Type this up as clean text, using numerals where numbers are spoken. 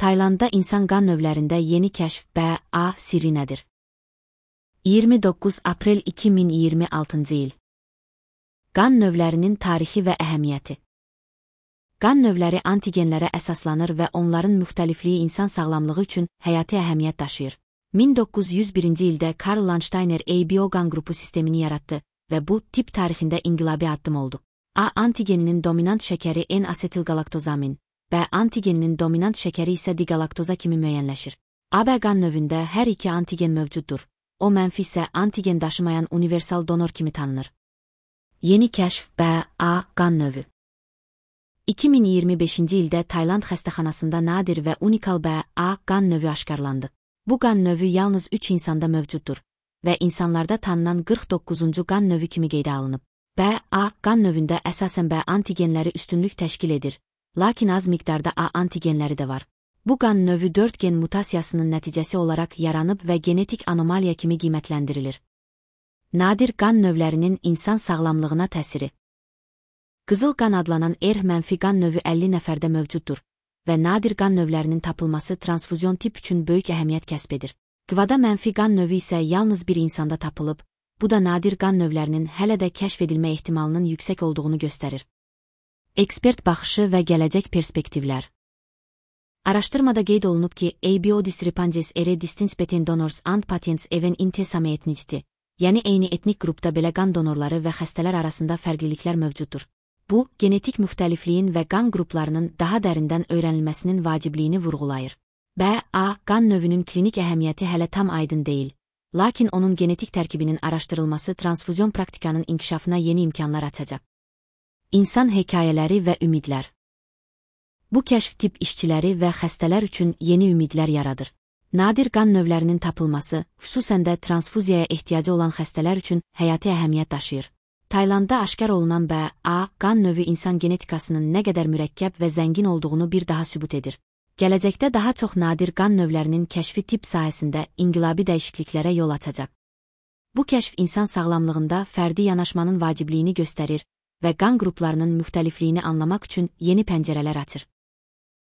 Taylandda insan qan növlərində yeni kəşf BA sirri nədir? 29 aprel 2026 il. Qan növlərinin tarixi və əhəmiyyəti. Qan növləri antigenlərə əsaslanır və onların müxtəlifliyi insan sağlamlığı üçün həyati əhəmiyyət daşıyır. 1901-ci ildə Karl Landsteiner ABO qan qrupu sistemini yaratdı və bu tip tarixində inqilabi addım oldu. A antigeninin dominant şəkəri N-asetilgalaktozamin, B antigeninin dominant şəkəri isə digalaktoza kimi müəyyənləşir. AB qan növündə hər iki antigen mövcuddur. O mənfi isə antigen daşımayan universal donor kimi tanınır. Yeni kəşf BA qan növü. 2025-ci ildə Tayland xəstəxanasında nadir və unikal BA qan növü aşkarlandı. Bu qan növü yalnız 3 insanda mövcuddur və insanlarda tanınan 49-cu qan növü kimi qeydə alınıb. BA qan növündə əsasən B antigenləri üstünlük təşkil edir, lakin az miqdarda A antigenləri də var. Bu qan növü 4 gen mutasiyasının nəticəsi olaraq yaranıb və genetik anomaliya kimi qiymətləndirilir. Nadir qan növlərinin insan sağlamlığına təsiri. Qızıl qan adlanan R-mənfi qan növü 50 nəfərdə mövcuddur və nadir qan növlərinin tapılması transfuzyon tip üçün böyük əhəmiyyət kəsb edir. Qvada mənfi qan növü isə yalnız bir insanda tapılıb, bu da nadir qan növlərinin hələ də kəşf edilmə ehtimalının yüksək olduğunu göstərir. Ekspert baxışı və gələcək perspektivlər. Araşdırmada qeyd olunub ki, ABO discrepancies ere distinct between donors and patients even in the same ethnicity, yəni eyni etnik qrupda belə qan donorları və xəstələr arasında fərqliliklər mövcuddur. Bu, genetik müxtəlifliyin və qan qruplarının daha dərindən öyrənilməsinin vacibliyini vurğulayır. BA qan növünün klinik əhəmiyyəti hələ tam aydın deyil, lakin onun genetik tərkibinin araşdırılması transfuzyon praktikanın inkişafına yeni imkanlar açacaq. İnsan hekayələri və ümidlər. Bu kəşf tip işçiləri və xəstələr üçün yeni ümidlər yaradır. Nadir qan növlərinin tapılması, xüsusən də transfuziyaya ehtiyacı olan xəstələr üçün həyati əhəmiyyət daşıyır. Taylandda aşkar olunan BA qan növü insan genetikasının nə qədər mürəkkəb və zəngin olduğunu bir daha sübut edir. Gələcəkdə daha çox nadir qan növlərinin kəşfi tip sahəsində inqilabi dəyişikliklərə yol açacaq. Bu kəşf insan sağlamlığında fərdi yanaşmanın vacibliyini göstərir və qan qruplarının müxtəlifliyini anlamaq üçün yeni pəncərələr açır.